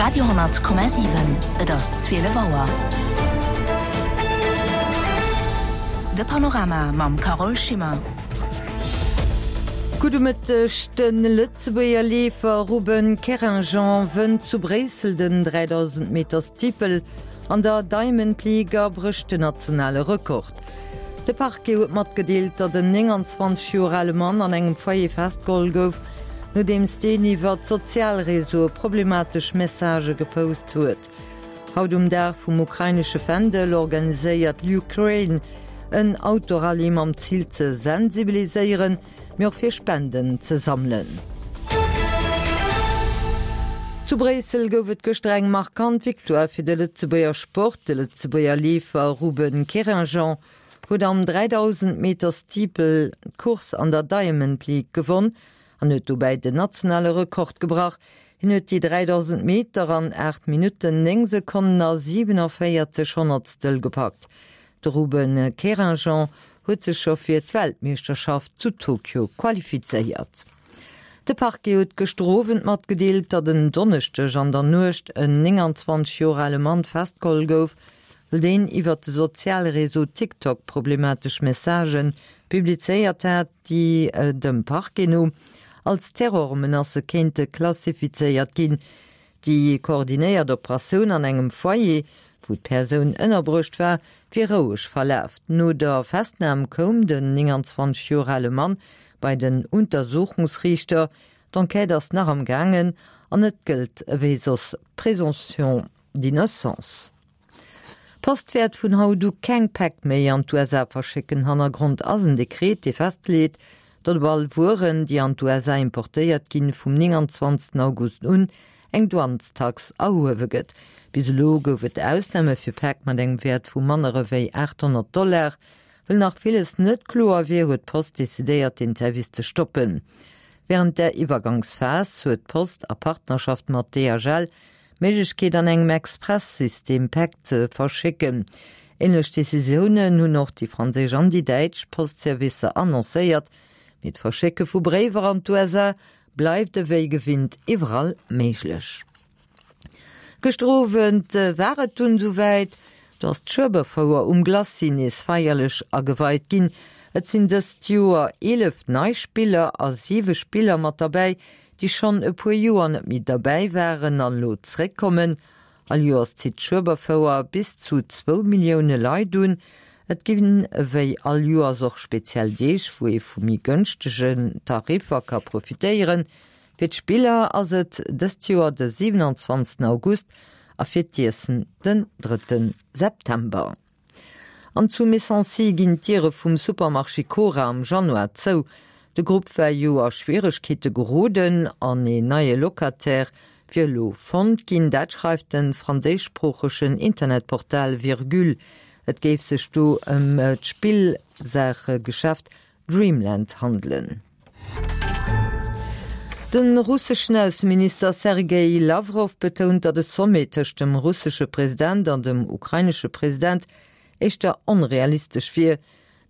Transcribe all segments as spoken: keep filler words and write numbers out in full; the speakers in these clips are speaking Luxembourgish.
Radio honnert Komma siwen, Et ass zwielef Auer. De Panorama mam Carole Schimmer. Gudde Mëtteg, De Lëtzebuerger Leefer Ruben Querinjean wënnt zu Bréissel den dräidausend Meter Steeple an der Diamond League a brécht den nationale Rekord. De Parquet huet matgedeelt, datt en nénganzwanzeg Joer ale Mann an engem Foyer festgeholl gouf, nodeems deen iwwer d'sozial Reseaue problematesch Messagë gepost huet. Haut um Dag vum ukrainesche Fändel organiséiert l'Ukraine en Autorallye mam Zil ze sensibiliséieren, mee och fir Spenden ze sammelen. Zu Bréissel gouf et gëschter eng markant Victoire fir de Lëtzebuerger Sport. De Lëtzebuerger Leefer Ruben Querinjean huet am dräidausend Meter Steeple d'Course an der Diamond League gewonn an huet dobäi den nationale Rekord gebrach. Hien huet déi dräidausend Meter an aacht Minutten, néng Sekonnen a siwenavéierzeg Honnertstel gepackt. De Ruben Querinjean huet sech scho fir d'Weltmeeschterschaft zu Tokio qualifizéiert. De Parquet huet gëschter Owend matgedeelt, datt en Donneschdeg an der Nuecht en nénganzwanzeg Joer ale Mann festgeholl gouf, well deen iwwert de soziale Réseau TikTok problematesch Messagë publizéiert hat, déi dem Parquet no als Terrormenacë kéinte klassifizéiert ginn. Déi koordinéiert Operatioun an engem Foyer, wou d'Persoun ënnerbruecht war, wier roueg verlaf. No der Festnam koum den nénganzwanzeg Joer ale Mann bei den Untersuchungsriichter. D'Enquête ass nach am gaangen an et gëllt ewéi soss d'Présomption d'innocence. D'Post wäert vun haut u keng Päck méi an d'USA verschécken. Hannergrond ass en Dekret, dee festleet, datt op all Wueren, déi an d'USA importéiert ginn, vum nénganzwanzegsten August un eng Douanestax erhuewe gëtt. Bis elo gouf et Ausname fir Päck mat engem Wäert vu manner ewéi aathonnert Dollar. Well nach villes net kloer wier, huet d'Post decidéiert, den Service ze stoppen. Wärend der Iwwergangsphas huet d'Post a Partnerschaft mat D H L d'Méiglechkeet an engem Express-System Päck ze verschécken. Änlech Decisiounen hunn och déi franséisch an déi däitsch Postservicer annoncéiert. Mee d'Verschécke vu Bréiwer an d'USA bleift ewéi gewinnt iwwerall méiglech. Gëschter Owend war et dunn esouwäit, do ass d'Schueberfouer um Glacis nees feierlech ageweit ginn. Et sinn dëst Joer eelef nei Spiller a siwe Spiller mat derbäi, déi schonn e puer Joer net méi derbäi waren an elo zréckkommen. All Joers zitt d'Schueberfouer bis zu zwou Millioune Leit un. Et ginn ewéi all Joers och speziell Deeg, wou ee vu méi gënschtegen Tariffer ka profitéieren. Fir d'Spiller ass et dëst Joer de siwenanzwanzegsten August a fir d'Iessen den drëtte September. An zu Messancy ginn d'Diere vum Supermarché Cora am Januar zou. De Grupp war jo a Schwieregkeete geroden an een neie Locataire wier elo fonnt ginn. Dat schreift de franséischsproochegen Internetportal Virgule. Et géif sech do ëm d'Spillsaachegeschäft Dreamland handelen. De russeschen Ausseminister Sergei Lawrow betount, datt e Sommet tëscht dem russesche President an dem ukrainesche President éischter onrealistesch wier.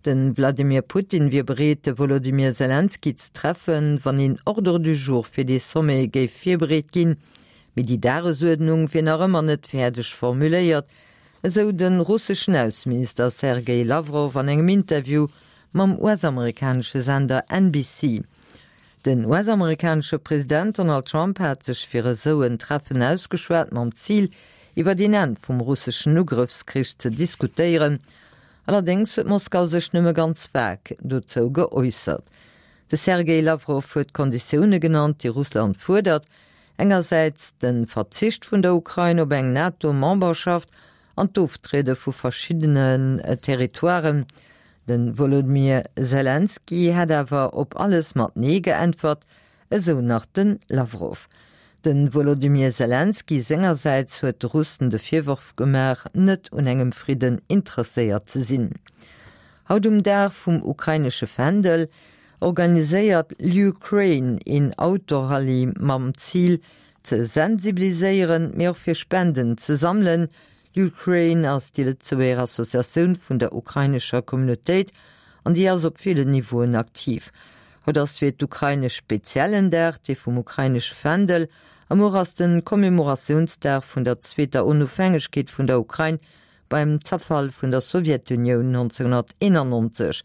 De Wladimir Putin wier bereet, de Wolodymyr Selenskyj ze treffen, wann een Ordre du jour fir dee Sommet géif virbereet ginn. Mee déi Dagesuerdnung wier nach ëmmer net fäerdeg formuléiert, esou de russeschen Ausseminister Sergei Lawrow an engem Interview mam U S-amerikanesche Sender N B C. Den U S-amerikanesche President Donald Trump hat sech fir esou en Treffen ausgeschwat mam Zil, iwwer den Enn vum russeschen Ugrëffskrich ze diskutéieren. Allerdéngs huet Moskau sech nëmme ganz vag dozou geäussert. De Sergei Lawrow huet Konditioune genannt, déi Russland fuerdert, engersäits de Verzicht vun der Ukrain op eng NATO-Memberschaft an d'Oftriede vu verschiddenen Territoiren. De Wolodymyr Selenskyj hätt awer op alles mat Nee geäntwert, esou nach de Lawrow. De Wolodymyr Selenskyj sengersäits huet de Russen de Virworf gemaach, net un engem Fridden interesséiert ze sinn. Haut um Dag vum ukrainesche Fändel organiséiert l'Ukraine een Autorallye mam Zil ze sensibiliséieren, mee och fir Spenden ze sammelen. L'Ukraine ass déi Lëtzebuerger Associatioun vun der ukrainescher Communautéit an déi ass op villen Niveauen aktiv. Haut ass fir d'Ukrain e speziellen Dag, dee vum ukrainesche Fändel A muer ass de Commemoratiounsdag vun der zweeter Onofhängegkeet vun der Ukrain beim Zerfall vun der Sowjetunioun neunzehnhunnerteenannonzeg.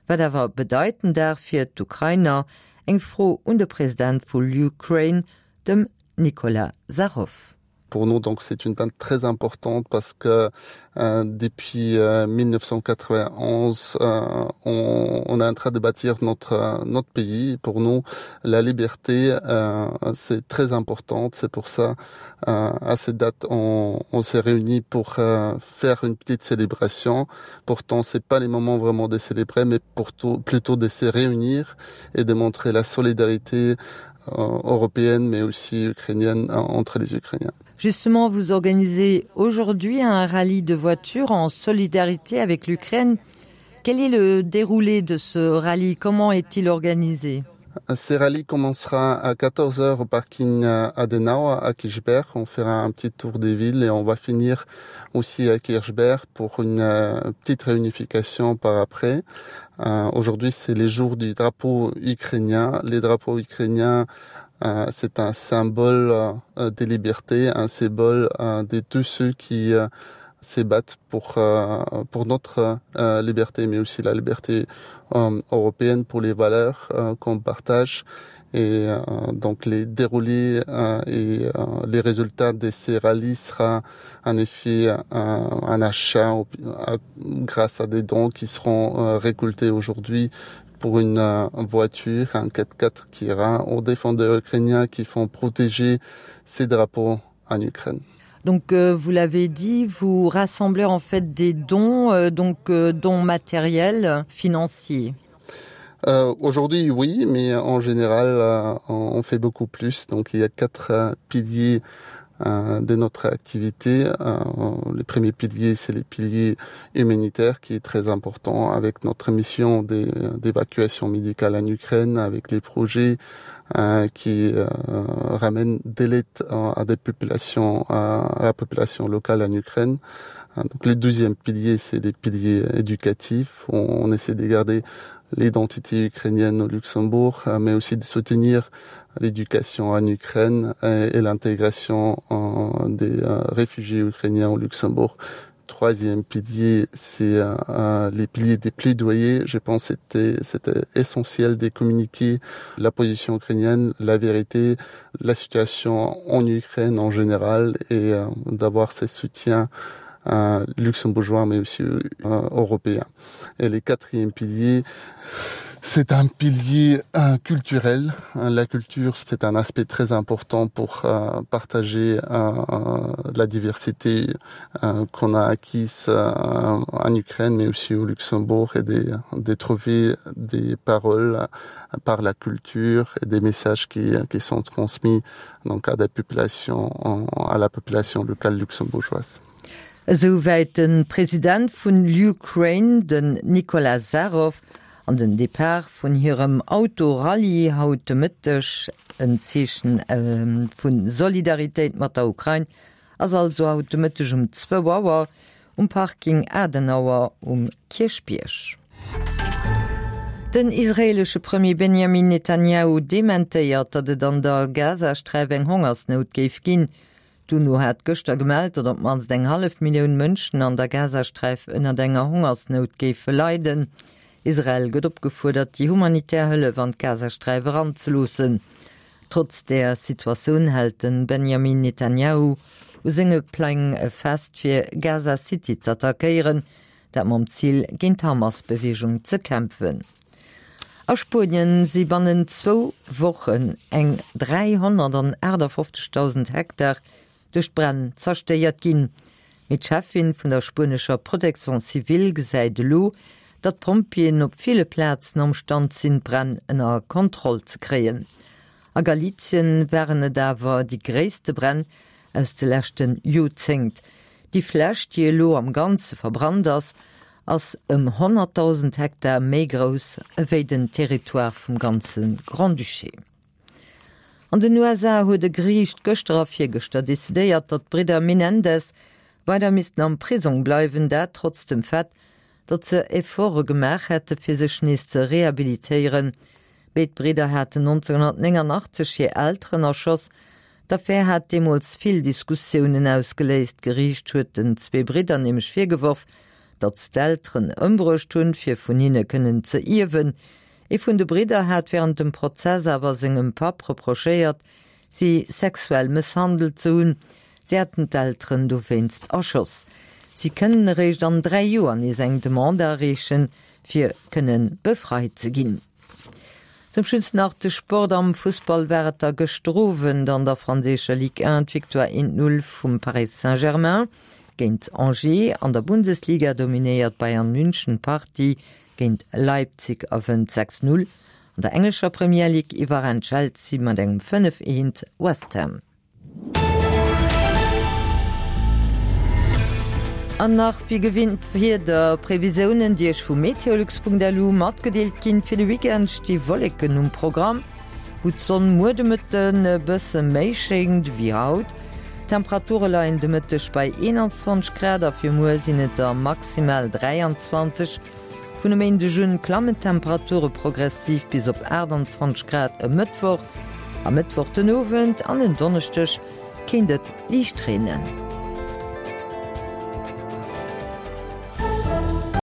Wat awer bedeit den Dag fir d'Ukrainer? Eng Fro un de President vu LUkraine, dem Nicolas Zharov. Pour nous, donc, c'est une date très importante parce que euh, depuis euh, mille neuf cent quatre-vingt-onze, euh, on, on est en train de bâtir notre, euh, notre pays. Pour nous, la liberté, euh, c'est très importante. C'est pour ça, euh, à cette date, on, on s'est réunis pour, euh, faire une petite célébration. Pourtant, c'est pas les moments vraiment de célébrer, mais pour tout, plutôt de se réunir et de montrer la solidarité, euh, européenne, mais aussi ukrainienne, entre les Ukrainiens. Justement, vous organisez aujourd'hui un rallye de voitures en solidarité avec l'Ukraine. Quel est le déroulé de ce rallye? Comment est-il organisé? Ce rallye commencera à quatorze heures au parking Adenauer à Kirchberg. On fera un petit tour des villes et on va finir aussi à Kirchberg pour une, euh, petite réunification par après. Euh, aujourd'hui, c'est les jours du drapeau ukrainien. Les drapeaux ukrainiens, euh, c'est un symbole, euh, des libertés, un symbole, euh, de tous ceux qui, euh, se battent pour, euh, pour notre, euh, liberté, mais aussi la liberté, euh, européenne, pour les valeurs, euh, qu'on partage. Et, euh, donc les déroulés, euh, et, euh, les résultats de ces rallyes sera en effet un, un achat au, à, grâce à des dons qui seront, euh, récoltés aujourd'hui pour une, euh, voiture, un quatre quatre qui ira aux défendeurs ukrainiens qui font protéger ces drapeaux en Ukraine. Donc, euh, vous l'avez dit, vous rassemblez en fait des dons, euh, donc, euh, dons matériels, financiers. Euh, aujourd'hui, oui, mais en général, euh, on, on fait beaucoup plus. Donc, il y a quatre, euh, piliers, euh, de notre activité. Euh, le premier pilier, c'est les piliers humanitaires qui est très important avec notre mission d'é-, d'évacuation médicale en Ukraine, avec les projets, euh, qui, euh, ramènent de l'aide à, à des populations, à, à la population locale en Ukraine. Euh, donc le deuxième pilier, c'est les piliers éducatifs. On, on essaie de garder l'identité ukrainienne au Luxembourg, euh, mais aussi de soutenir l'éducation en Ukraine et, et l'intégration en, des, euh, réfugiés ukrainiens au Luxembourg. Troisième pilier, c'est, euh, euh, les piliers des plaidoyers. Je pense que c'était, c'était essentiel de communiquer la position ukrainienne, la vérité, la situation en Ukraine en général et, euh, d'avoir ces soutiens, euh, luxembourgeois, mais aussi, euh, européens. Et les quatrième pilier, c'est un pilier, euh, culturel. La culture, c'est un aspect très important pour, euh, partager, euh, la diversité, euh, qu'on a acquise, euh, en Ukraine, mais aussi au Luxembourg, et de, de trouver des paroles par la culture et des messages qui, qui sont transmis donc à des populations, à la population locale luxembourgeoise. Esouwäit de President vun LUkraine, den Nicolas Zharov, an den Depart vun hirem Autorallye haut de Mëtteg, en Zeechen, ähm, vun Solidaritéit mat der Ukrain, ass also haut de Mëtteg um zwou Auer um Parking Adenauer um Kierchbierg. Den israelesche Premier Benjamin Netanyahu dementéiert, datt et an der Gazasträif eng Hongersnout géif ginn. D'UNO hat gëschter gemellt, datt op d'mannst eng hallef Millioun Mënschen an der Gazasträif ënner enger Hongersnout géife leiden. Israel gëtt opgefuerdert, déi humanitär Hëllef an d'Gazasträif eranzeloossen. Trotz der Situatioun hält den Benjamin Netanyahu u senge Pläng fest, fir Gaza City z'attackéieren, dat mam Zil géint d'Hamas-Beweegung ze kämpfen. A Spuenien si bannen zwou Wochen eng dräihonnertachtundfünfzigtausend Hektar duerch d'Bränn zerstéiert ginn. Mee d'Chefin vun der spuenescher Protection civile gesäit elo, datt d'Pompjeeën op ville Plazen am Stand sinn, d'Bränn ënner Kontroll ze kréien. A Galicien waren et awer déi gréisste Bränn aus de leschten Joerzéngt. Déi Fläch, déi elo am Ganze verbrannt ass, ass ëm honnertdausend Hektar méi grouss ewéi den Territoire vum ganze Grand-Duché. An den U S A huet e Geriicht gëschter a virgëschter decidéiert, datt d'Bridder Menendez weider missten am Prisong bleiwen, dat trotz dem Fait, datt se Efforte gemaach hätte fir sech nees ze rehabilitéieren. Béid Bridder haten neunzehnhundertneunundachtzig hir Elteren erschoss, D'Affär hat deemools vill Diskussiounen ausgeléist. D'Geriicht huet den zwee Bridder nämlech virgeworf, datt se d'Elteren ëmbruecht hunn, fir vun hinne kënnen ze ierwen. Ee vun de Bridder hat wärend dem Prozess awer sengem Papp reprochéiert, si sexuell mësshandelt ze hunn. Si hätten d'Elteren dowéinst erschoss. Si kënnen eréischt an dräi Joer nees eng Demande areechen, fir kënne befreit ze ginn. Zum Schluss nach de Sport, Am Fussball war et da gëschter Owend an der franséischer Ligue un d'Victoire eent Null vum Paris Saint-Germain géint Angers. An der Bundesliga dominéiert Bayern München d'Partie géint Leipzig a wënnt sechs Null. An der englescher Premier League iwwerrennt Chelsea mat engem fënnef Eent West Ham. An nach wéi gewinnt d'Wiederprevisiounen, déi Iech vu meteolux.lu matgedeelt ginn. Fir de Weekend sti Wolleken um Programm, wou d'Sonn muer de Mëtten e bësse méi schéngt wéi haut. D'Temperature leien de Mëtteg bei eenanzwanzeg Grad a fir muer sinn et der maximal dräianzwanzeg. Vun e Méindeg un klammen d'Temperature progressiv bis op aachtanzwanzeg Grad e Mëttwoch. A Mëttwoch den Owend an en Donneschdeg kéint et liicht reenen.